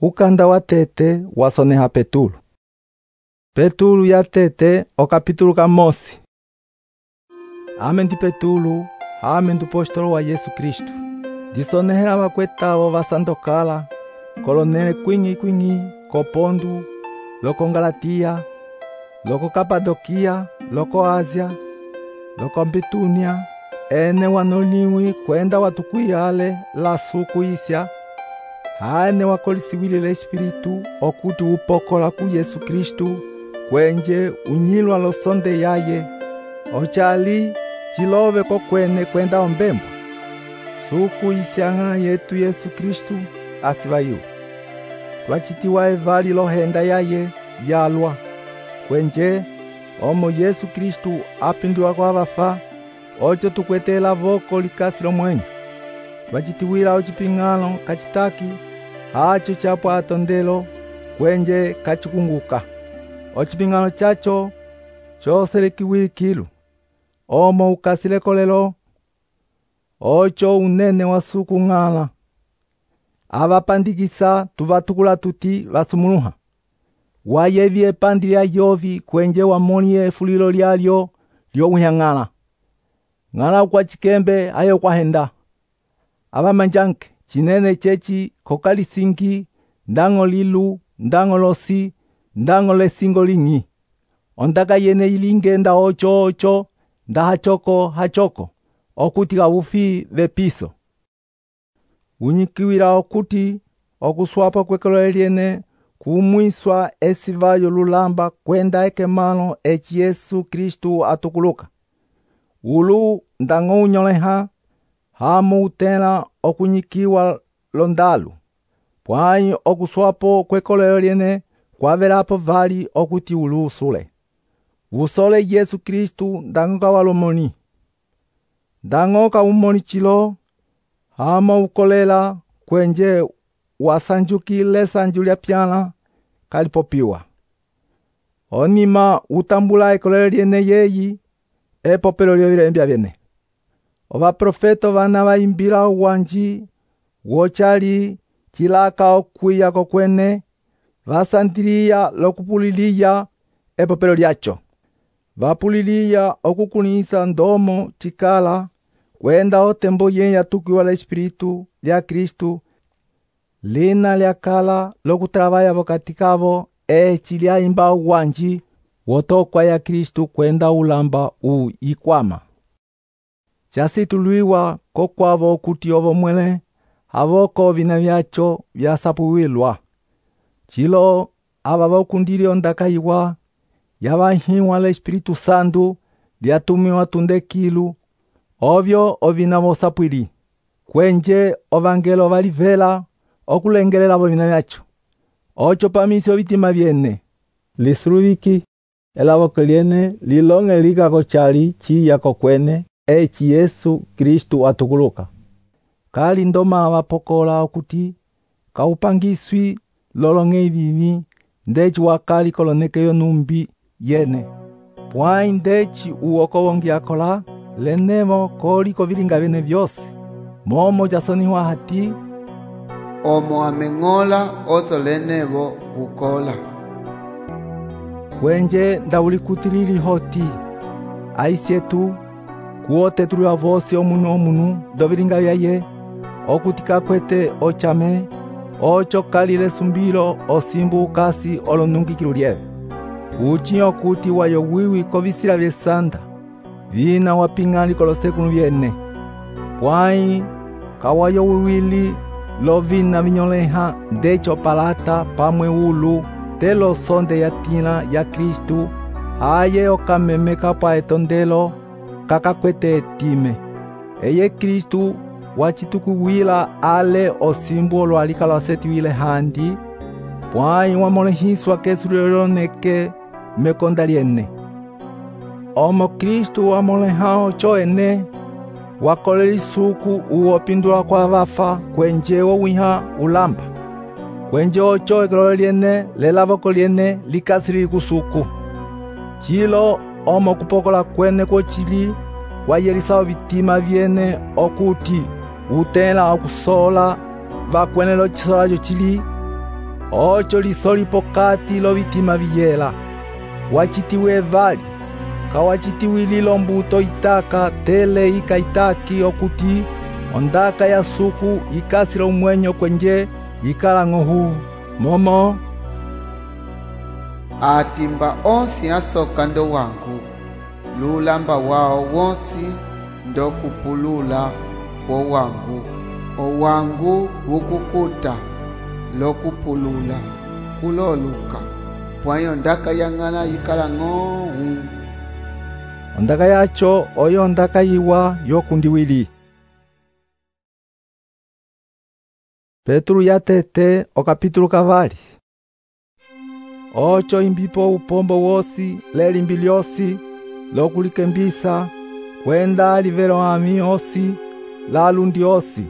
Ukanda wa tete wasoneha Petulo. Petulo ya tete o capítulo ka mosi. Ame ndi Petulo, ame ndi apostolo wa Yesu Kristo. Disonehela vakwetavo vasandokala, kolonele kwingi ko Ponto, loko Galatia, loko Kapadokia, loko Asia, loko Bitunia, ene wanoliwi kwenda watukwiyale la suku isya, hane wakolisiwile Espiritu okuti upokola ku Yesu Kristu kwenje unyilwa losonde yaye, ochali chilove kokwene kwenda ombembwa. Suku isyang'ana yetu Yesu Kristu asivayiwa. Twachitiwa evali lohenda yaye yalwa, kwenje omo Yesu Kristu apinduwa kwa vafa, ocho tukwetela voko likasi lomwenyo. Twachitiwila ochiping'alo kachitaki, hacho chapwa atondelo, kwenje kachikunguka. Ochiping'alo chacho choselekiwili kilu, omo ukasile kolelo, ocho unene wa suku ng'ala. Avapandikisa tuvatukula tuti vasumuluha. Wayevye pandi lya yovi kwenje wamoniye fulilo lyalyo lyowuhyang'ala. Ng'ala kwa chikembe ayo kwa henda. Avamanjanke chinene chechi kokalisingi, ndango lilu, ndango losi, ndango lesingo lingi. Ondaka yene ilingenda ocho, nda hachoko, okuti gavufi vepiso. Unyikiwila okuti, okuswapa kwekolo lyene, kumwiswa esivayo lulamba kwenda ekemalo echi Yesu Kristu atukuluka. Ulu ndango unyoleha, hamu utela okunyikiwa londalu. Pwanyi okuswapo kwekolo lyene, kwavelapo vali okuti ulu usule. Usole Yesu Kristu ndango kawalomoni. Ndango kawumoni chilo, hama ukolela kwenje wasanjukile sanju lya pyala kalipopiwa. Onima utambula ekolo lyene yeyi, epopelo lyovilembya vyene. Ova profeto vana vaimbila uwanji, wochali chilaka okwiya kokwene, vasandiliya lokupuliliya epopelo lyacho. Vapuliliya okukunisa ndomo chikala, kwenda otembo yenye atukiwa la Espiritu lya Kristu, lina lya kala lokutravaya vokatikavo, echi lyaimba uwanji, wotokwa ya Kristu kwenda ulamba ikwama. Chasituluiwa kokwavo okuti ovo mwele, havoko vina vyacho vyasapuwilwa. Chilo ava vokundili ondaka iwa, yavahiwa la Espiritu Santu, lyatumiwa tundekilu, ovyo ovina vosapwili. Kwenje ovangelo valivela, okulengelela vina vyacho. Ocho pamisyo vitima vyene. Lisuluviki, elavoko lyene, lilonge likako chali chiya kokwene, echi Yesu Kristu atukuluka. Kali ndoma vapokola okuti, kaupangiswi lolonge ivivi, ndechi wakali kolonekeyo numbi yene. Pwanyi ndechi uoko wongi akola, lenevo koliko vilinga vyene vyose. Momo jasoniwa hati, omo ameng'ola oto lenevo ukola. Kwenje ndaulikutili hoti, aisyetu, kuote tuliwa vosi omunu dovilinga vyaye, okutika kwete ochame, ocho kalile sumbilo osimbu ukasi olonungikilu lyeve. Uchi okuti wayo wiwi kovisila vyesanda, vina waping'ali kolosekulu vyene. Pwanyi kawayo wiwili lovina vinyoleha ndecho palata pamwe ulu, telo sonde ya tila ya Kristu, haye okamemeka pa etondelo, kakakwete etime. Eye Kristu wachitukuwila ale osimbu olwalika lwasetiwile handi, pwanyi wamolehiswa kesuliloneke mekonda lyene. Omo Kristu wamoleha ocho ene, wakolela isuku uopindula kwa vafa kwenje wowiha ulamba. Kwenje ocho ekolo lyene lelavoko lyene likasili kusuku. Chilo omo kupokola kwene kochili kwayelisa vitima vyene okuti utela okusola vakwenelo chisolacho chili ocho lisoli pokati lovitima viyela. Wacitiwe evali, kawacitiwililo mbuto itaka tele ika itaki okuti ondaka ya suku ikasila umwenyo kwenje ikala ng'ohu. Momo atimba onsi asoka ndo wangu, lulamba wao wonsi ndo kupulula wo wangu. Owangu wukukuta lokupulula kuloluka, pwayo ndaka yang'ala ikala ng'ohu. ondaka yacho oyo ondaka yiwa yokundiwili. Petro yatete okapitulo kavali. Ocho imbipo upombo wosi lelimbi lyosi lokulikembisa kwenda livelo ami osi lalundi osi.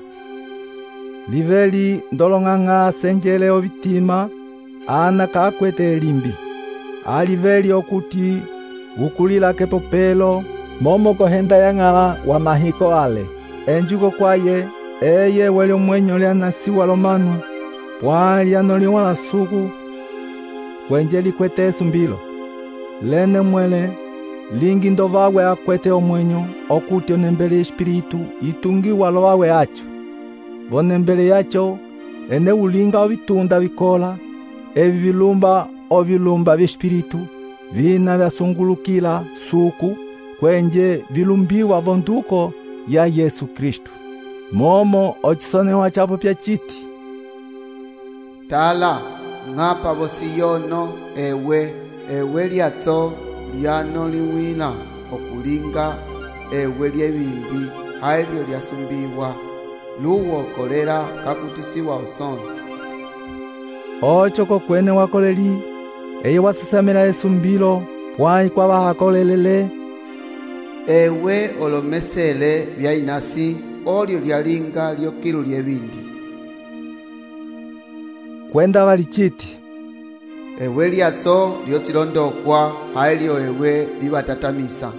Liveli ndolong'ang'a senjele ovitima ana kakwete elimbi. Aliveli okuti ukulila kepopelo momo kohenda yang'ala wa mahiko ale. Enjuko kwaye eye weli omwenyo lyanasiwa lomanu pwa lyanoliwa la suku kwenje likwete esumbilo. Lene mwele lingi ndovawe akwete omwenyo okuti onembele espiritu itungiwa lovawe acho. Vonembele yacho ene ulinga ovitunda vikola evi vilumba vyespiritu vina vyasungulukila suku kwenje vilumbiwa vonduko ya Yesu Kristu. Momo ochisonewa chapo pyachiti, tala ng'apa vosiyono ewe lyatso lyanoliwila okulinga ewe lyevindi ailyo lyasumbiwa luwokolela kakutisiwa osono. Ocho kokwene wakoleli eye wasisamila esumbilo pwai kwa vahakolelele. Ewe olomesele vyainasi olyo lyalinga lyokilu lyevindi. Kwenda valichiti, ewe lyatso lyotilondokwa ailyo ewe livatatamisa.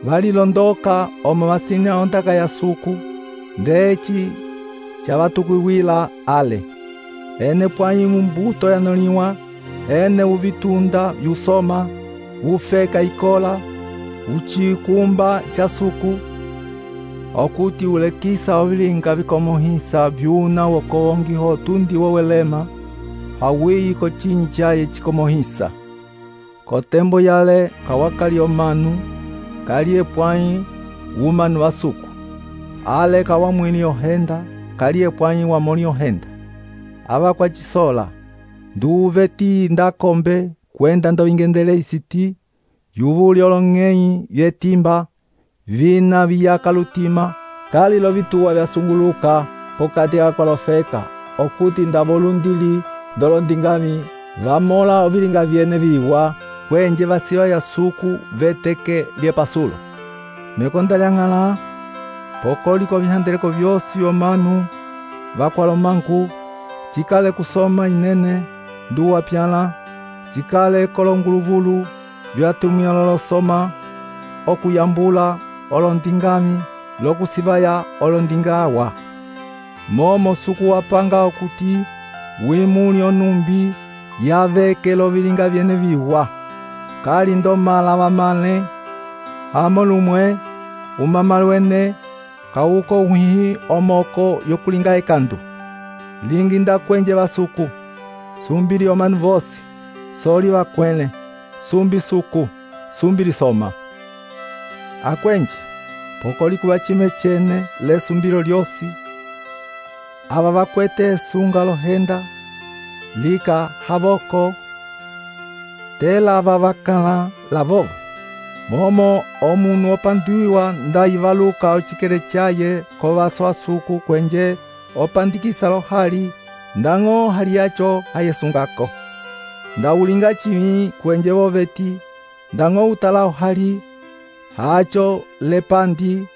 Valilondoka omo vasina ondaka ya suku ndechi chavatukuwila ale. Ene pwai mumbuto yanoliwa, ene uvitunda vyusoma, ufeka ikola, uchikumba cha suku, okuti ulekisa ovilinga vikomohisa vyuna wokongiho tundi wowelema, hawiyi ko chinyi chaye chikomohisa. Kotembo yale kawakali omanu, kaliye pwai umanu wa suku. Ale kawamwini ohenda, kaliye pwai wamoni ohenda. Ava kwa chisola, nduveti ndakombe kwenda ndovingendele isiti, yuvuli olong'ei vyetimba, vina viyaka lutima, kali lovituwa vyasunguluka pokati kakolofeka, okuti ndavolundili ndolondingami, vamola ovilinga vyene viwa, kwenje vasiwa ya suku veteke lyepasulo. Mekonda lyang'ala, pokoliko vihandeleko vyosi omanu, vakwalomanku, chikale kusoma inene, nduwa pyala, chikale kolonguluvulu, vyatumia lolosoma, okuyambula olondingami, lokusivaya olondingawa. Momo suku wapanga okuti, wimuli onumbi, yaveke lovilinga vyene viwa. Kali ndomala wamale, amolumwe, umamalwene, kauko uhihi omoko yokulinga ekandu. Lingi ndakwenje vasuku, sumbili omanu vosi, soli wakwele, sumbi suku, sumbili soma. Akwenje, pokoli kuwa chime chene le sumbilo lyosi, ava vakwete sunga lohenda, lika havoko, tela ava vakala lavovo. Momo omunu opanduiwa ndaivaluka ochikele chaye kovaswa suku kwenje opandikisa lohali, ndang'o hali yacho hayesungako. Ndaulinga chimi kwenje voveti, ndang'o utala ohali, hacho lepandi,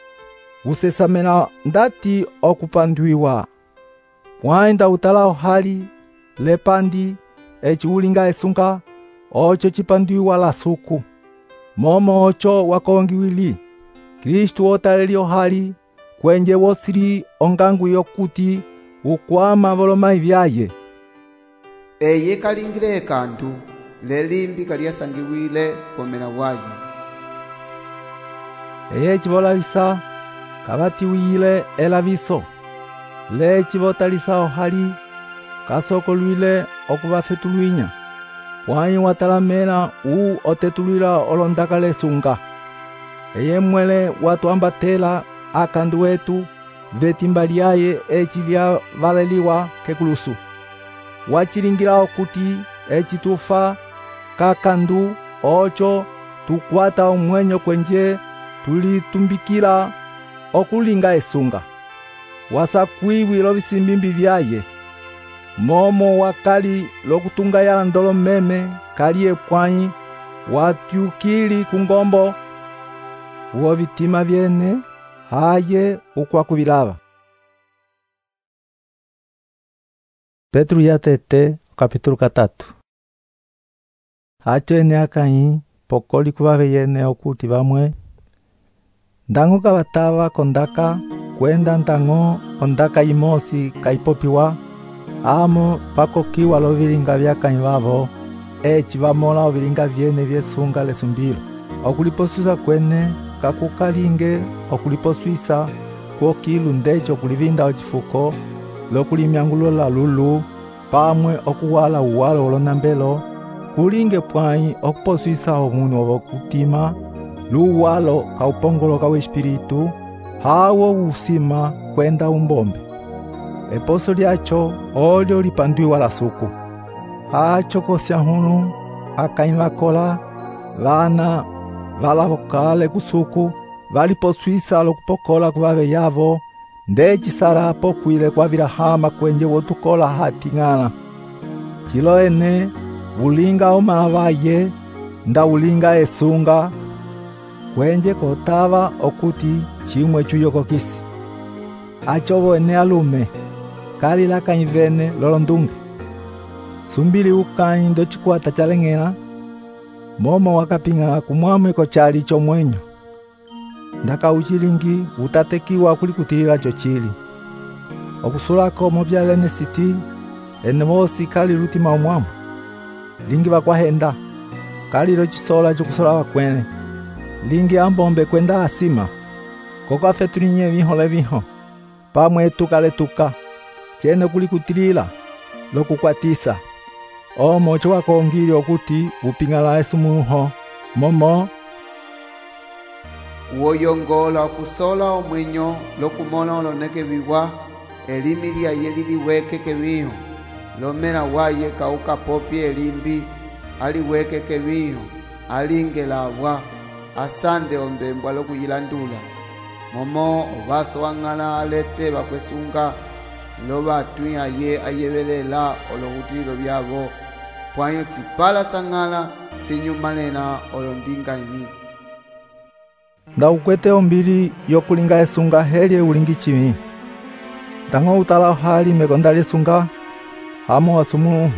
usesamela ndati okupanduiwa. Pwainda utala ohali, lepandi, echi ulinga esunga, ocho chipanduiwa la suku. Momo ocho wakongiwili, Kristu otaleli ohali, kwenje wosili ongangu yokuti, ukwama volomai vyaye. Eye kalingile ekandu, lelimbi kalyasangiwile pomena waye. Eye civolavisa kavatiwile elaviso, leci votalisa ohali kasokolwile okuvafetulwinya, pwanyi watalamela otetulwila olondaka lesunga. Eye mwele watwambatela akandu wetu vetimba lyaye eci lyavaleliwa kekulusu. Wacilingila okuti eci tufa kakandu oco tukwata omwenyo kwenje tulitumbikila okulinga esunga. Wasakwiwilo visimbimbi vyaye, momo wakali lokutunga yala ndolo meme kaliye pwanyi watyukili kungombo uwo vitima vyene haye ukwakuvilava. Petro yatete kapítulo 3. Hacho ene akanyi pokoli kuvave yene okuti vamwe ndango kavatava kondaka kwenda ndango ondaka imosi kaipopiwa amo pakokiwa lovilinga vyakanyi vavo eci vamola ovilinga vyene vyesunga lesumbilo. Okuliposwisa kwene kakukalinge okuliposwisa kuokilu ndecho okulivinda ocifuko lokulimyangulola lulu pamwe okuwala uwalo olonambelo kulinge pwanyi okuposwisa omunu ovokutima luwalo kaupongoloka wespiritu hawo usima kwenda umbombe. Eposo lyacho olyo lipandwiwa la suku. Hacho kosyanhunu akanyi vakola vana valavokale kusuku valiposwisa lokupokola kuvave yavo ndecisala pokwile kwavila hama kwenje wotukola hating'ala. Cilo ene ulinga omala vaye nda ulinga esunga kwenje kotava okuti cimwe cuyokokisi. Achovo ene alume kali lakanyi vene lolondunge sumbili ukanyi ndocikwata caleng'ela momo wakaping'ala kumwamwe kochali comwenyo ndaka ucilingi utatekiwa kulikutilila cocili okusulako movyalene siti ene vosi kali lutima omwamwe lingi vakwahenda kali locisola cokusola vakwene lingi ambombe kwenda asima kokafetulinye vihole viho pamwe tukaletuka cene kulikutilila lokukwatisa omo cowakongile okuti uping'ala esumuho momo woyongola okusola omwenyo lokumona oloneke viwa elimi lyaye liliweke keviho lomela waye kaukapopye elimbi aliweke keviho alinge labwa asande ombembwa lokuyilandula momo ovaso wang'ala alete vakwesunga lovatwi aye ayevelela olohutililo vyavo pwanyo tsipala tsang'ala tsinyumalena olondinga imi. Nda ukwete ombili yokulinga esunga helye ulingi cimi ndango utala ohali mekonda lyesunga hamo wasumuhu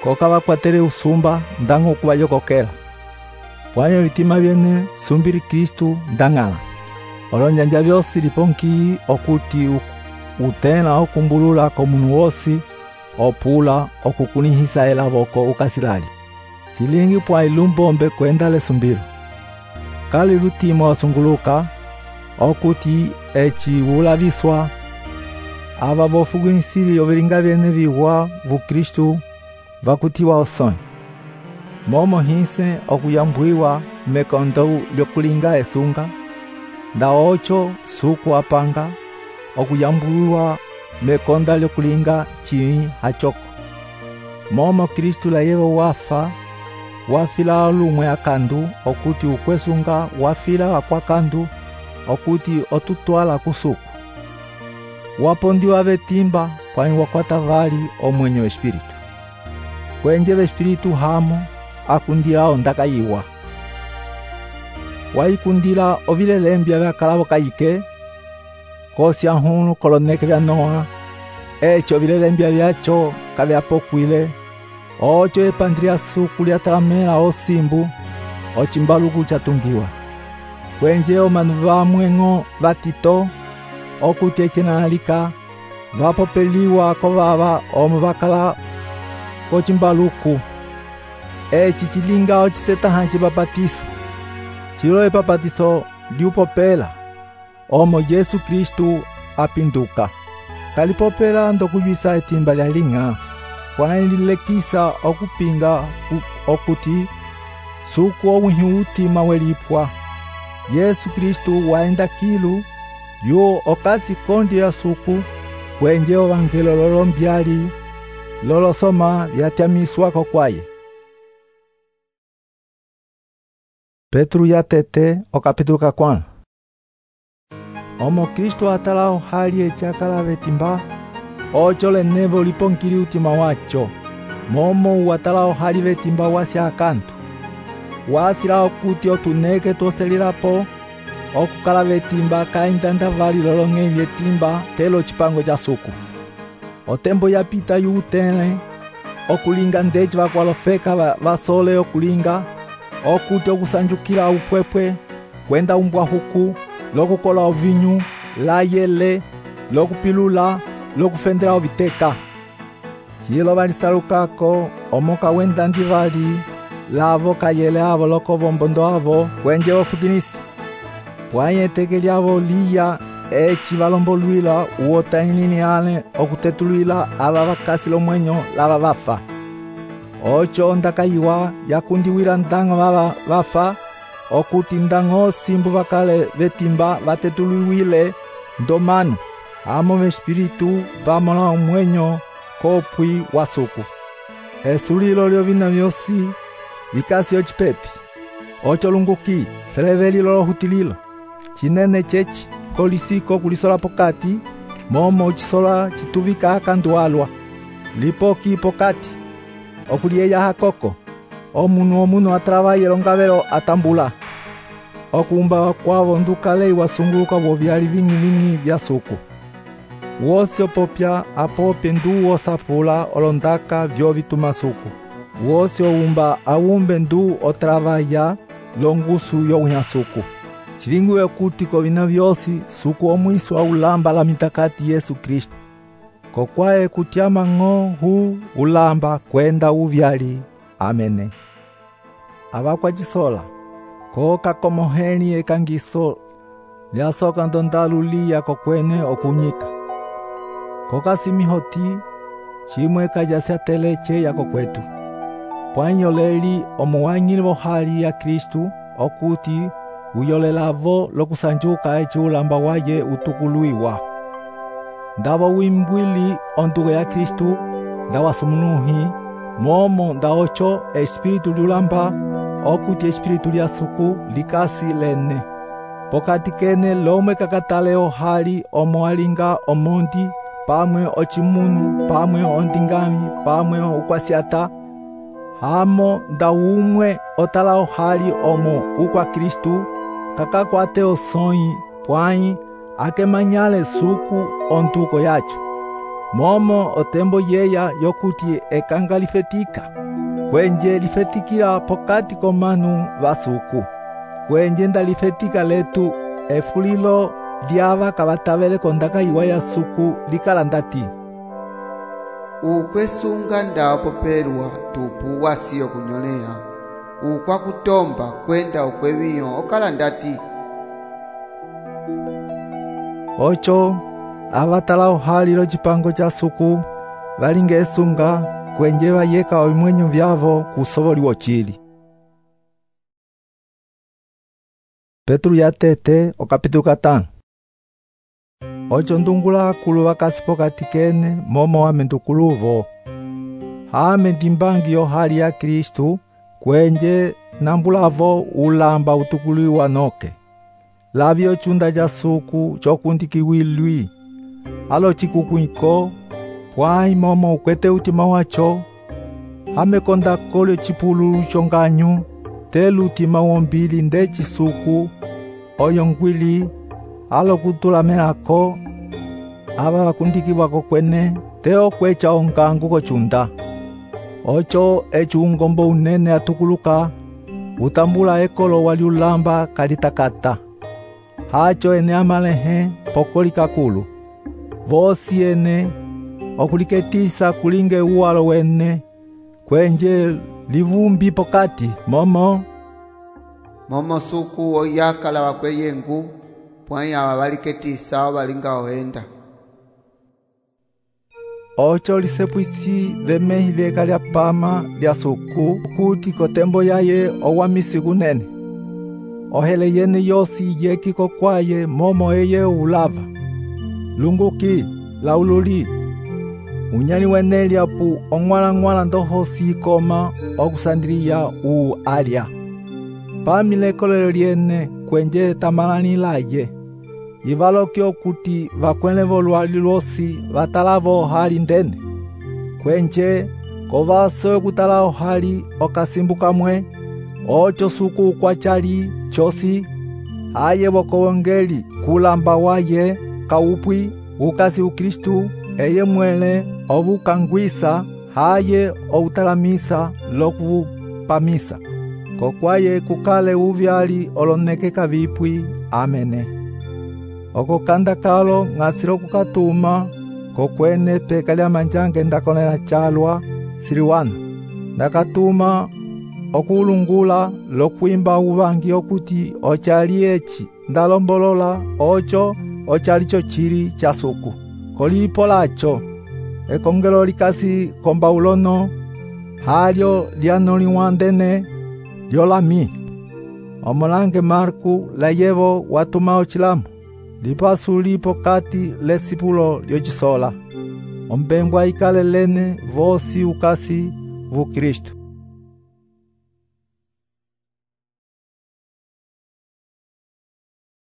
koka vakwatele usumba ndango ukuvayokokela pwanyo vitima vyene sumbili Kristu ndang'ala olonjanja vyosi liponki okuti utena okumbulula komunu wosi opula okukunihisa elavoko ukasilali silingi pwanyi lumbombe kwenda lesumbilo kali lutima wasunguluka okuti eci ulaviswa ava vofugunisili ovilinga vyene viwa vu Kristu vakutiwa osonyi momo hinse okuyambwiwa mekondo lyokulinga esunga nda ocho suku apanga okuyambwiwa mekonda lyokulinga cimi hachoko momo Kristu layevo wafa wafila lumwe akandu okuti ukwesunga wafila wakwakandu okuti otutwala kusuku wapondiwa vetimba pwanyi wakwata vali omwenyo wespiritu kwenje vespiritu hamo akundila ondaka yiwa waikundila ovilelembya vyakalavo kayike kosyanhunu koloneke vya Noa echo vilelembya vyacho kavyapokwile ocho epandilya suku lyatalamela osimbu ocimbaluku chatungiwa kwenje omanu vamweng'o vatito okuti ecenalika vapopeliwa kovava omo vakala kocimbaluku. Eci cilinga ocisetaha cibapatiso. Cilo epapatiso liupopela omo Yesu Kristu apinduka. Kalipopela ndokuyisa etimba lya linga. Pwani lilekisa okupinga okuti suku omwihi utima welipwa. Yesu Kristu waenda kilu yo okasi kondi ya suku kwenje ovangelo lolombyali lolosoma vyatyamiswako kwaye. Petru yatete okapitulu kakwana. Omo Kristu atalao hali echakala vetimba ocho lenevo lipongili utima wacho. Momo watalao hali vetimba wasya akantu. Wasila okuti otuneke toselilapo okukala vetimba kaindanda vali lolonge vyetimba telo chipango ja suku. Otembo yapita yutele okulinga ndeci vakwalofeka vasole okulinga okuti okusanjukila upwepwe kwenda umbwa huku lokukola ovinyu layele lokupilula lokufendela oviteka. Cilo valisalukako omoka wenda ndivali lavo kayele avo lokovombondo avo kwenje ofukinisi. Pwanye eteke lyavo liya eci valombolwila uotainini ale okutetulwila ava vakasi lomwenyo lava vafa. Ocho ndakayiwa yakundiwila ndango vava vafa okuti ndango simbu vakale vetimba vatetulwiwile ndomanu amo vespiritu vamola omwenyo kopwi wa suku. Esulilo lyovina vyosi vikasi ocipepi. Ocho lunguki feleveli lolohutililo cinene ceci kolisiko kulisola pokati momo cisola cituvika akandualwa lipoki pokati okulieya hakoko omunu atravaye longavelo atambula okumba kwavo ndukale wasunguluka vovyali vingi vya suku. Wosi opopya apopye ndu osapula olondaka vyo vituma suku. Wosi oumba aumbe ndu otravaya longusu yowiha suku. Cilingiwe kuti kovina vyosi suku omwiso aulamba la mitakati Yesu Kristu. Kokwae kutyama ng'o hu ulamba kwenda uvyali. Amene. Avakwa cisola koka komoheni ekangiso lyasoka ndondalu liya kokwene okunyika. Koka simihoti chimwe kajasya teleche yako kwetu. Pwanyoleli omuwanyili vohali ya Kristu okuti uyolelavo lokusanjuka eci ulamba waye utukuluiwa. Ndavo wimbwili ondugo ya Kristu ndawasumunuhi momo ndaocho espiritu liulamba okuti espiritu lya suku likasi lene. Pokati kene lomwe kakatale ohali omoalinga omondi pamwe ocimunu pamwe ondingami pamwe ukwasyata hamo ndaumwe otala ohali omo ukwa Kristu kakakwate osoi pwanyi akemanyale suku ontuko yacho. Momo otembo yeya yokuti ekanga lifetika kwenje lifetikila pokati komanu vasuku kwenje ndalifetika letu efulilo lyava kavatavele kondaka iwa ya suku likala ndati ukwesunga ndapopelwa tupu wasiyo kunyolea ukwa kutomba kwenda ukweviyo okala ndati. Ocho avatala ohalilo cipango ca suku valinga esunga kwenje vayeka omwenyo vyavo kusovoliwocili. Petru yatete okapitulu 5. Ocho ndungula akulu vakasi pokati kene momo amendukuluvo. Hame ndimbangi yohali ya Kristu kwenje nambulavo ulamba utukuliwa noke. Lavyo chunda ja suku chokundikiwilwi. Alo chikukuiko pwai momo ukwete utima wacho. Hame konda kolyo chipululu chonganyu telu utima wombili ndeci suku oyo ngwili alo kutulamelako ava vakundikiwako kwene teo kwecha ongangu kochunda. Ocho echi ungombo unene atukuluka utambula ekolo waliulamba kalitakata. Hacho ene amalehe pokoli kakulu. vosi ene okuliketisa kulinge uwalo wene, kwenje livumbi pokati momo suku oyakala wakweyengu pwanya wabaliketisa balinga ohenda. Ocho lisepwisi vemehi vyeka lya pama lya suku kuti kotembo yaye owamisi kunene. Ohele yene yosi yekiko kwaye momo eye ulava. Lunguki, laululi. Unyani wene lyapu ongwala ndohosi ikoma okusandiliya alya. Pamile kolelo lyene kwenje tamalani laye. Ivalokyo kuti vakwene volwali lwosi vatalavo hali ndene. Kwenje kovaso kutala ohali okasimbuka mwe, ocho suku kwachali chosi, haye wokowongeli kulamba waye kaupwi ukasi ukristu eye mwele ovukangwisa haye outalamisa lokupamisa. Kokwaye kukale uvyali olonekeka vipwi. Amene. Oko kanda kalo ngasilo kukatuma kokwene peka lya manjange ndakonela chalwa siliwana. Ndakatuma okulungula lokwimba uvangi okuti ochali echi ndalombolola ocho ochalicho chili cha suku. Kolipo lacho ekongelo likasi komba ulono halyo lyanoliwandene lyolami. Omolange Marku layevo watuma ochilamu. Lipasu lipo kati lesipulo lyochisola. Ombengwa ikale lene vosi ukasi vu Kristu.